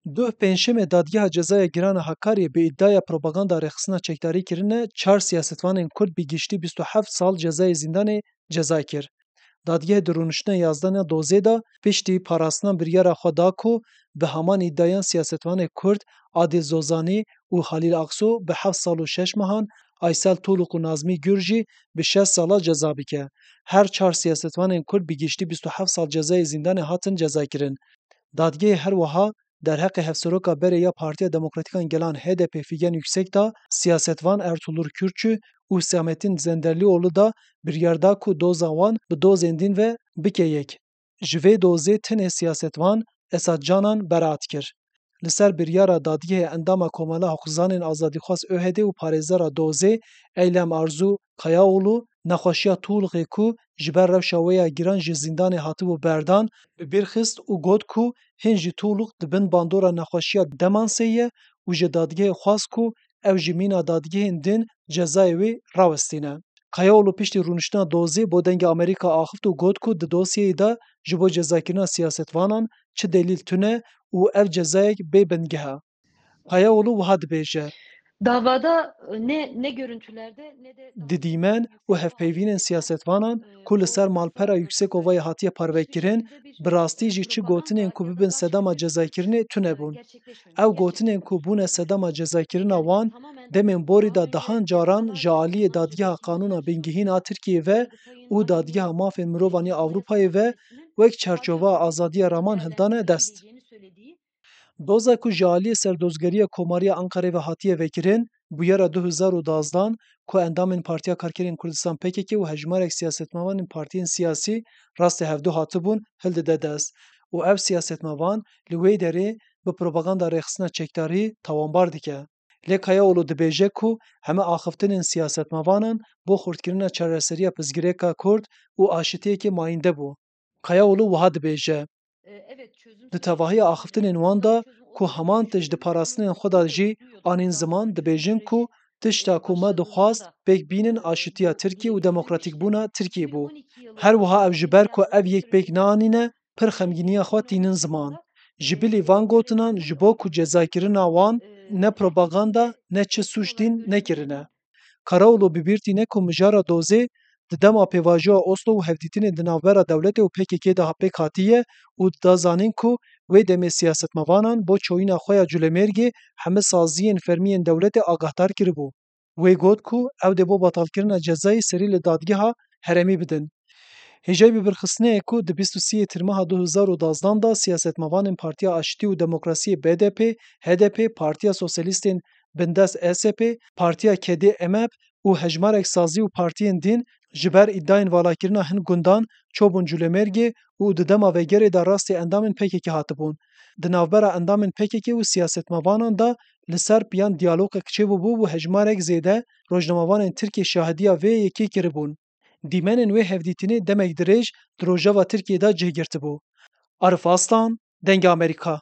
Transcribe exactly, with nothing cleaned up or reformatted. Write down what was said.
Duh pêncşemê Dadgeha Cezaya Giran a Hakariyê bi îdiaya propaganda rêxistina çekdarî kirine çar siyasetvanên Kurd bi giştî bîst û heft sal cezayê zîndanê ceza kir. Dadgehê di rûniştina yazdanê dozê de piştî parastina biryara xwe da ku bi heman îdiayan siyasetvanê Kurd Adil Zozanî û Halîl Akso bi heft sal û şeş mehan, Aysel Toluk û Nazmî Gür jî bi şeş sala ceza bike. Her çar siyasetvanên Kurd bi giştî bîst û heft sal cezayê zîndanê hatin cezakirin. Dadgehê her wiha derheqê hevseroka berê ya Partiya Demokratîk a Gelan H D P Figen Yüksek da siyasetvan Ertuğrul Kürkçü û Hüsamettin Zenderlioğlu da biryar da ku doza wan bi dozên din ve bike yek. Ji vê dozê tenê siyasetvan Esat Canan beraat kir. Li ser biryara dadgehê endama Komela Hiqûqzanên Azadîxwaz ÖHD û parêzera dozê Eylem Arzu Kayaoğlu nexweşiya Tuğlixê ku ji ber rewşa wê ya giran ji zîndanê hatibû berdan, bi bîr xist û got ku hîn jî Tuğlix di bin bandora nexweşiya demansê ye û ji dadgehê xwest ku ew ji mîna dadgehên din cezayê wê rawestîne. Kayaoğlu piştî rûniştina dozê bo Dengê Amerîka axift û got ku di dosyeyê de ji bo cezakirina siyasetvanan çi delîl tune û ev cezayek bê bingeh e. Kayaoğlu wiha dibêje. Davada, e, ne, ne görüntülerde ne de Di dîmen û hevpeyvînên siyasetvanan ku li ser malpera Yüksekovayê hatiye parvekirin, bi rastî jî çi gotinên ku bibin sedema cezakirinê tune bûn. Ew gotinên ku bûne sedema cezakirina wan, demên borî de dehan caran ji aliyê Dadgeha Qanûna Bingehîn a Tirkiyê ve û Dadgeha Mafên Mirovan ya Ewropayê ve wek çarçoveya azadiya raman hildane dest. Doza ku ji aliyê Serdozgeriya Komariya Ankarê ve hatiye vekirin, bûyera du hezar û dazdan ku endamên Partiya Karkerên Kurdistan P K K û hejmarek siyasetmevanên partiyên siyasî rastê hevdu hatibûn, hildide dest û ev siyasetmevan li wê derê bi propaganda rêxistina çekdarî tawanbar dike. Lê Kayaoğlu dibêje ku heme axiftinên siyasetmevanan bo xurtkirina çareseriya pirsgirêka Kurd û aşitiyekê mayînde bû. Kayaoğlu wiha dibêje. Di tevahiya axiftinên wan de ku heman tişt di parastinên xwe de jî anîn ziman, dibêjin ku tişta ku me dixwast pêk bînin aşitiya Tirkiyê û demokratîkbûna Tirkiyê bû. Her wiha ew ji ber ku ev yek pêk neanîne, pir xemgîniya xwe tînin ziman. Ji bilî van gotinan ji bo ku cezakirina wan ne propaganda ne çi sûc dîn nekirine. Karaoğlu bi bîr tîne ku mijara dozê di dema pêvajoya Oslo û hevdîtinên di navbera dewletê û P K K de pêk hatiye û dida zanîn ku wê demê siyasetmevanan bo çoyîna xwe ya Culemêrgê heme saziyên fermî yên dewletê agahdar kiribû. Wê got ku ew dê bo betalkirina cezayê serî li dadgeha herêmî bidin. Hêjayî bi birxistinê ye ku di bîst û sê Tîrmeha du hezar û dazdan de siyasetmevanên Partiya Aşitî û Demokrasiyê B D P, H D P, Partiya Sosyalistên Bindest S P, Partiya Kedê M P û hejmarek sazî û partiyên din ji ber îdiayên valakirina hin gundan çûbûn Culemêrgê û di dema vegerê de rastî endamên P K K hatibûn. Di navbera endamên P K K û siyasetmevanan de li ser piyan diyalogek çêbûbû û hejmarek zêde rojnamevanên Tirkiyê şahidiya vê yekê kiribûn. Dîmenên wê hevdîtinê demek dirêj di Rojava Tirkiyê de cih girtibû. Arif Aslan, Dengê Amerîka.